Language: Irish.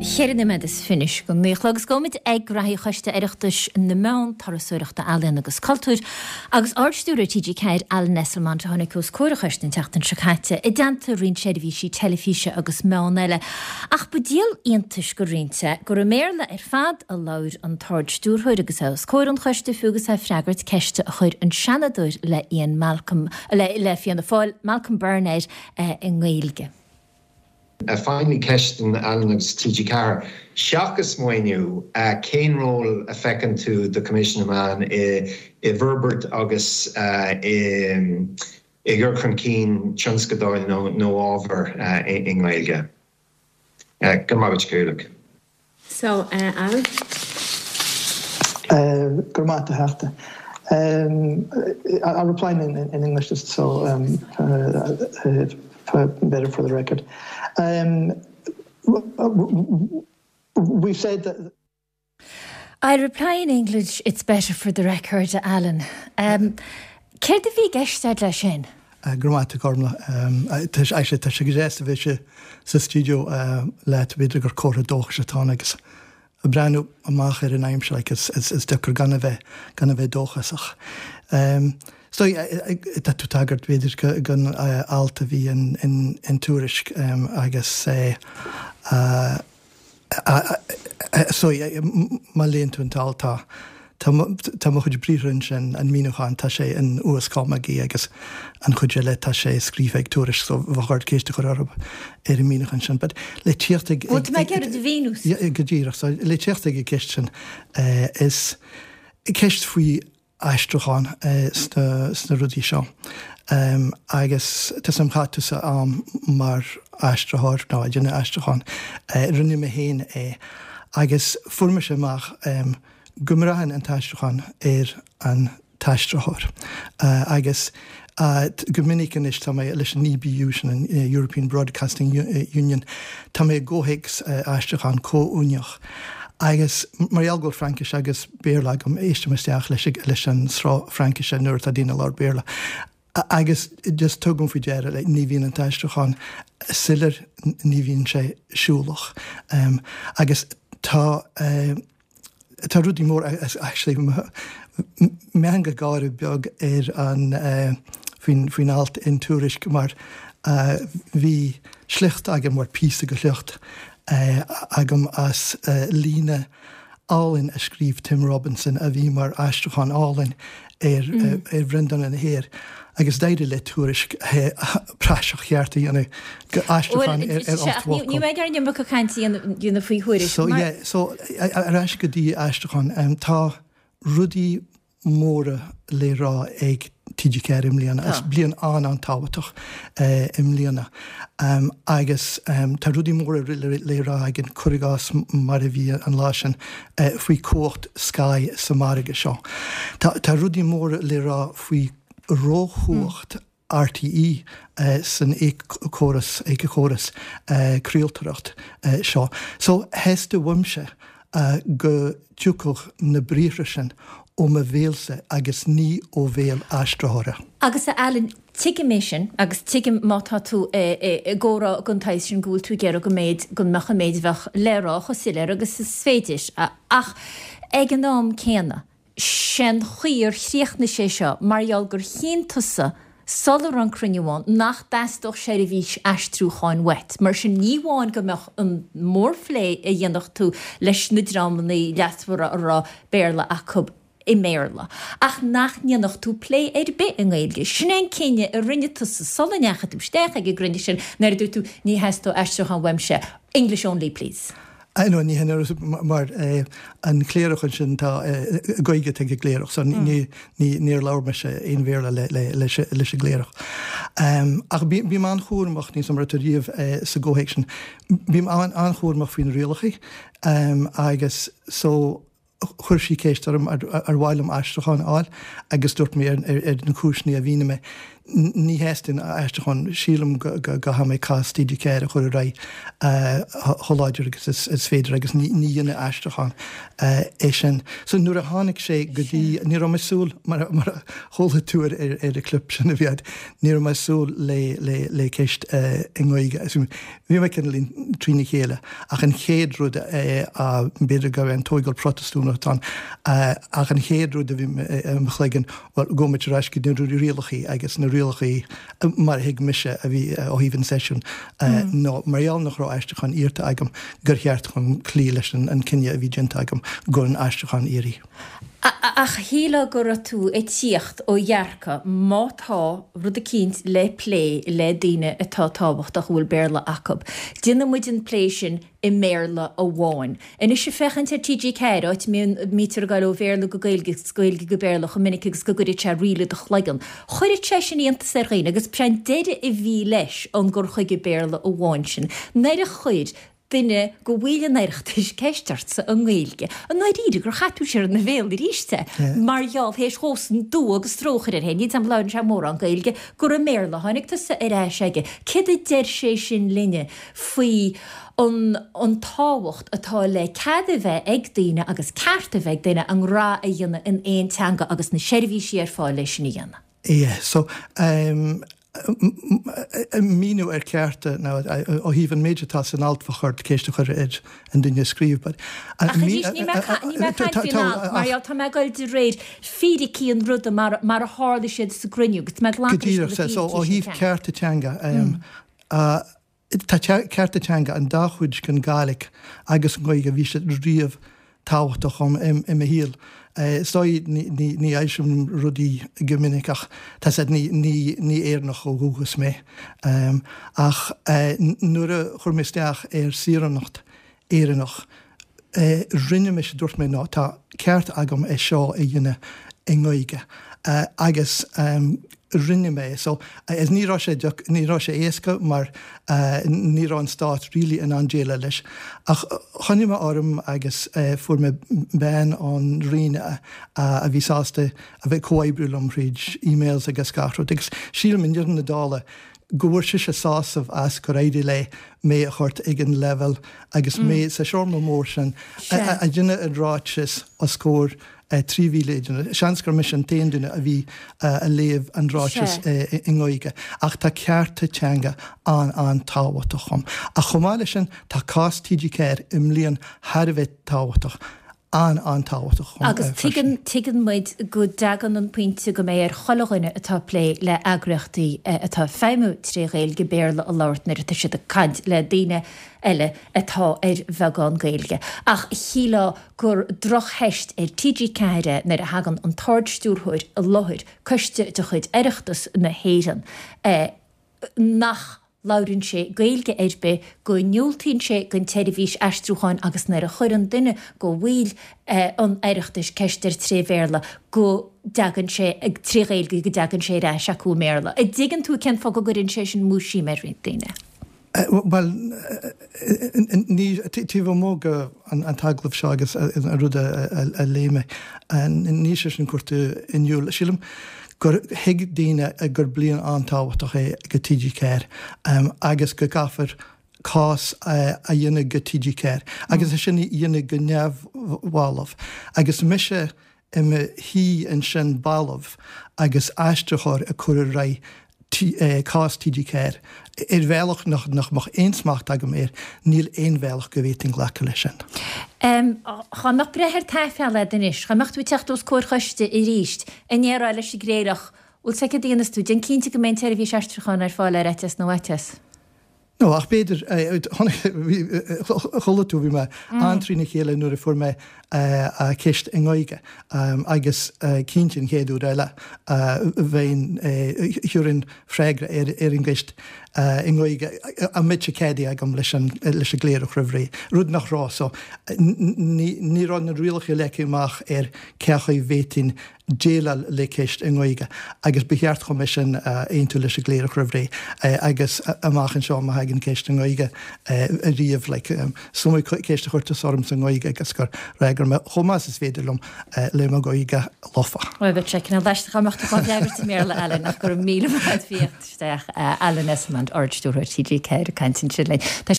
Cheithre nóiméad is fiche go 9 a chlog agus gabhfaimid ag reathaí Choiste Oireachtais na Meán, Turasóireachta, Ealaíon agus Cultúir agus Ard-Stiúrthóir TG4, Alan Esslemont, a tháinig os comhair an choiste an tseachtain seo caite i dteannta roinnt seirbhísí teilifíse agus meán eile. Ach ba díol iontais do roinnt é gur i mBéarla ar fad a labhair an tArd-Stiúrthóir agus é os comhair an choiste, fiú agus é ag freagairt ceiste a chuir an Seanadóir le Ian Malcolm, le Fianna Fáil, Malcolm Byrne air i nGaeilge. Finally, ceist don Alan agus TG4. Seachas maoiniú, cén ról a feiceann tú do Choimisiún na Meán i bhforbairt agus i gcur chun cinn tionscadail nó ábhair i nGaeilge? Go raibh maith agat, a Chathaoirligh. So, Alan? Go raibh maith agat, a Theachta. I'll reply in in English just so um, uh, uh, better for the record. Um, we've said that I'll reply in English, it's better for the record, Alan. Um, Céard a bhí i gceist agat leis sin? Go raibh maith agat, Gormlaith. Actually, tá sé go deas a bheith sa stiúideo leat, b'fhéidir gur comhartha dóchais atá ann agus ag breathnú amach ar an aimsir like is is deacair gan a bheith gan a bheith dóchasach. So tá tú ag tagairt b'fhéidir don alt a bhí in in Tuairisc agus So, má léann tú an t-alt, tá, tá, tá mo chuid briathra ansin, an míniúchán, tá sé in uaschóimeagaí agus an chuid eile, tá sé scríofa ag Tuairisc, so bheadh ort ceist a chur orthu ar an míniúchán sin. But le tíocht ag, Bhuel, tá mé ag iarraidh do mhíniú. Yeah, go díreach. So, le tíocht ag an gceist sin, is ceist faoi aistriúchán sna rudaí seo agus tá 's a'm chaith tusa am mar aistritheoir nó ag déanamh aistriúchán, rinne mé féin é agus fuair mise amach go mbraitheann an t-aistriúchán ar an t-aistritheoir agus go minic anois tá mé leis an EBU sin an European Broadcasting Union, tá mé i gcomhthéacs aistriúchán comhuaineach agus mar gheall go bhfuil Fraincis agus Béarla agam, éistim isteach leis an sruth Fraincise nuair atá daoine ag labhairt Béarla agus just tugaim faoi deara like ní bhíonn an t-aistriúchán soiléir, ní bhíonn sé siúlach agus tá tá rudaí móra actually meangadh gáire beag ar an faoin faoin alt in Tuairisc mar bhí sliocht agam, bhuel píosa de shliocht agam as líne álainn a scríobh Tim Robinson a bhí mar aistriúchán álainn ar ar Bhreandán Ó hÉir agus d'éirigh le Tuairisc praiseach cheart a dhéanamh de aistriúchán ar ar alt Ní focal. mé ag iarraidh an iomarca cainte a dhéanamh faoi Thuairisc So mar. yeah, so ar ais go dtí aistriúchán, tá rudaí móra le rá ag TG4 i mbliana. Is bliain an-an-tábhachtach i mbliana agus tá rudaí móra le rá againn, cuir i gcás mar a bhí an lá sin faoi chumhacht Sky sa margadh seo. Tá rudaí móra le rá faoi róchumhacht RTÉ san éiceachóras, éiceachóras craoltóireacht seo. So, theastaigh uaimse go dtiocfadh na briathra sin ó mo bhéalsa agus ní ó bhéal aistritheora. Agus a Alan, tuigim é sin agus tuigim má tá tú i gcomhrá den tsaghas sin go bhfuil tú ag iarraidh go méid, go mbeadh an méid a bheadh le rá chomh soiléir agus is féidir. Ach ag an am céanna, Sén chaoi ar chríochnaigh sé seo mar gheall gur chinn tusa sula raibh an cruinniú ann nach dteastódh seirbhís aistriúcháin uait. Mar sin ní amháin go mbeadh an mórphlé a dhéanfadh tú leis na dreamanna leasmhara a raibh Béarla acu i mBéarla, ach nach ndéanfadh tú plé ar bith i nGaeilge. Sin é an cinneadh a rinne tusa sula ndeachaigh tú isteach ag an gcruinniú sin nuair a dúirt tú ní theastódh aistriúchán uaimse, English only please. No, ní hin mar an cléireach ansin tá Gaeilge ag an gcléireach so ní níor labhair mise aon Bhéarla leis an gcléireach. Ach bím an-chúramach níos mar atá riamh sa gcomhthéacs sin. Bím an-chúramach faoi na rialacha agus so chuir sí ceist orm ar mhaith liom aistriúchán a fháil agus dúirt mé ar na cúiseanna a mhínigh mé. Ní theastaíonn aistriúchán, sílim go gcaithfidh mé cás TG4 a chur ar aghaidh chomh láidir agus is féidir agus ní dhéanfaidh aistriúchán é sin. So nuair a tháinig sé go dtí, ní raibh mé ag súil, mar a chuala tú ar an clip sin a bhí agat, ní raibh mé ag súil le ceist i nGaeilge. Bhí mé cineál trína chéile ach an chéad rud a, b'fhéidir gurb é an tóigeáil Protastúnach atá ann, ach an chéad rud a bhí i mo chloigeann, Bhuel, gabhfaidh muid ar ais go dtí na rialachaí agus na rialachaí mar a thuig mise a bhí ó thaobh an seisiúin ná mar gheall nach raibh aistriúchán iarrta agam gur cheart dhom cloí leis an cinneadh a bhí déanta agam go raibh an aistriúchán iarrtha. Ach shílfeá go raibh tú ag tíocht ó dhearcadh má tá rud eicínt le plé le daoine atá tábhachtach a bhfuil Béarla acu, déanfaidh muid an plé sin i mBéarla amháin. Anois ag féachaint ar TG4, áit a mbítear ag dul ó Bhéarla go Gaeilge agus Gaeilge go Béarla chomh minic agus go gcuireann sé ríl i do chloigeann. Chuirfeadh sé sin iontas ar dhaoine agus b'é an deireadh a bhí leis an gcur chuige Béarla amháin sin. Nuair a chuir duine de bhaill an Oireachtais ceist ortsa i nGaeilge, i ndáiríre gur chaith tú siar ina bhéal arís é mar gheall théis dhósan dua agus stró a chur air féin, níl 's a'm labhrann sé mórán Gaeilge, gur i mBéarla a tháinig tusa ar ais aige. Céard a deir sé sin linne faoi an an tábhacht atá le cead a bheith ag daoine agus ceart a bheith ag daoine a ngrá a dhéanamh in aon teanga agus na seirbhísí ar fáil leis sin a dhéanamh. Yeah, so ehm míniú ar cearta now ó thaobh an méid atá san alt ba chóir ceist a chur ar an duine a scríobh but Ach arís níl mé níl mé ag caint faoin alt mar gheall tá mé ag goil de réir fíricí an ruda mar mar a tharla siad sa gcruinniú agus tá mé ag Go glacadh leis díreach go bhfuil so na ó fíricí thaobh sin cearta teanga ehm Tá cearta teanga an dá chuid den Gàidhlig agus an Ghaeilge, bhí siad riamh tábhachtach dhom i mo shaol. Is dóigh ní fhoilsím rudaí go minic ach tá 's a'd ní Éireannach ó dhúchas mé. Ach nuair a chuir mé isteach ar saoránacht Éireannach, rinne mise, dúirt mé ná tá ceart agam é seo a dhéanamh i nGaeilge agus rinne mé é. So ní raibh sé ní raibh sé éasca mar ní raibh an stát really in ann déileáil leis. Ach choinnigh mé orm agus fuair mé bean ón Roinn a bhí sásta a bheith ag comhoibriú liom thríd emails agus gach rud agus sílim i ndeireadh na dála go bhfuair sise sásamh as gur éirigh léi mé a thabhairt ag an leibhéal agus mé sa seomra mór sin a dhéanamh an ráiteas os comhair 3,000 duine. Seans gur mise an t-aon duine a bhí a léamh an ráiteas i nGaeilge. Ach tá cearta teanga an-an-tábhachtach dhom. Ach chomh maith leis sin, tá cás TG4 i mbliana thar a bheith tábhachtach. an-an-tábhachtach dhom Agus freisin. tuigeann muid go dtagann an pointe go mbeidh ar chuile dhuine atá ag plé le eagraíochtaí atá ag feidhmiú tré Ghaeilge Béarla a labhairt nuair atá siad ag caint le daoine eile atá ar bheagán Gaeilge. Ach shílfeá gur drochtheist ar TG4 é nuair a thagann an tArd-Stiúrthóir i láthair coiste de chuid Oireachtas na hÉireann nach labhrann sé Gaeilge ar bith, go ndiúltaíonn sé don tseirbhís aistriúcháin agus nuair a chuireann duine de bhaill an Oireachtais ceist air tré Bhéarla go dtagann sé, tré Ghaeilge, go dtagann sé ar ais acu i mBéarla. An dtuigeann tú cén fáth go gcuireann sé sin múisiam ar roinnt daoine? Bhuel, ní, taobh amuigh de an t-agallamh seo agus an rud a léigh mé, níl sé sin curtha in iúl. Sílim gur thuig daoine gur bliain an-tábhachtach é go TG4 agus go gcaithfear cás a dhéanamh go TG4 agus é sin a dhéanamh go neamhbhalbh. Agus mise i mo shuí ansin balbh agus aistritheoir ag cur ar aghaidh cás TG4 ar bhealach nach mbeadh aon smacht agam air, níl aon bhealach go bhféadfainn glacadh leis sin. Dhá mbeadh breith ar taifeáil agat anois, dhá mbeadh tú ag teacht os comhair choiste arís, an ndéarfá leis an gCathaoirleach, bhfuil 's agat céard a dhéanfas tú, déan cinnte go mbeidh an tseirbhís aistriúcháin ar fáil ar fhaitíos nó fhaitíos. No, ach b'fhéidir, chuala tú, bhí mé an-trína chéile nuair a fuair mé ceist i nGaeilge agus cinnte an chéad uair eile bheinn, thabharfainn freagra ar an gceist i nGaeilge dá mbeadh sé ceadaithe agam leis an gcléireach roimh ré, rud nach raibh. So, ní raibh na rialacha leagtha amach ar cé chaoi bhféadfainn. déileáil le ceist i nGaeilge agus ba cheart chomh maith sin aontú leis an gcléireach roimh ré agus amach anseo má thagann ceist i nGaeilge ariamh like is iomaí ceist a chuir tusa ormsa i nGaeilge agus gur fhreagair mé chomh maith is is féidir liom le mo Ghaeilge lofa. Bhuel bheadh sé cineál aisteach dá mbeadh tú dhá bhfreagairt i mBéarla Alan ach go raibh míle maith agat as a theacht isteach Alan Esslemont, Ard-Stiúrthóir TG4 ag caint ansin linn.